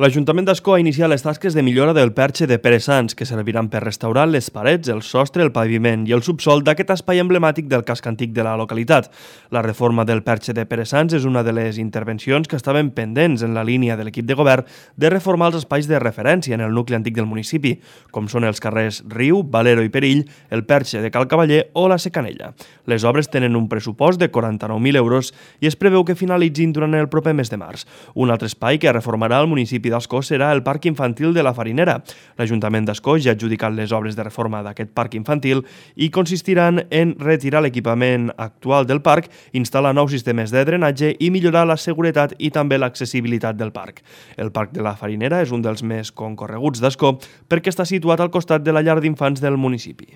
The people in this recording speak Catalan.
L'Ajuntament d'Ascó ha iniciat les tasques de millora del perxe de Pere Sans, que serviran per restaurar les parets, el sostre, el paviment i el subsòl d'aquest espai emblemàtic del casc antic de la localitat. La reforma del perxe de Pere Sans és una de les intervencions que estaven pendents en la línia de l'equip de govern de reformar els espais de referència en el nucli antic del municipi, com són els carrers Riu, Valero i Perill, el perxe de Cal Cavaller o la Secanella. Les obres tenen un pressupost de 49.000 euros i es preveu que finalitzin durant el proper mes de març. Un altre espai que reformarà el municipi d'Ascó serà el Parc Infantil de la Farinera. L'Ajuntament d'Ascó ja ha adjudicat les obres de reforma d'aquest parc infantil i consistiran en retirar l'equipament actual del parc, instal·lar nous sistemes de drenatge i millorar la seguretat i també l'accessibilitat del parc. El Parc de la Farinera és un dels més concorreguts d'Ascó perquè està situat al costat de la llar d'infants del municipi.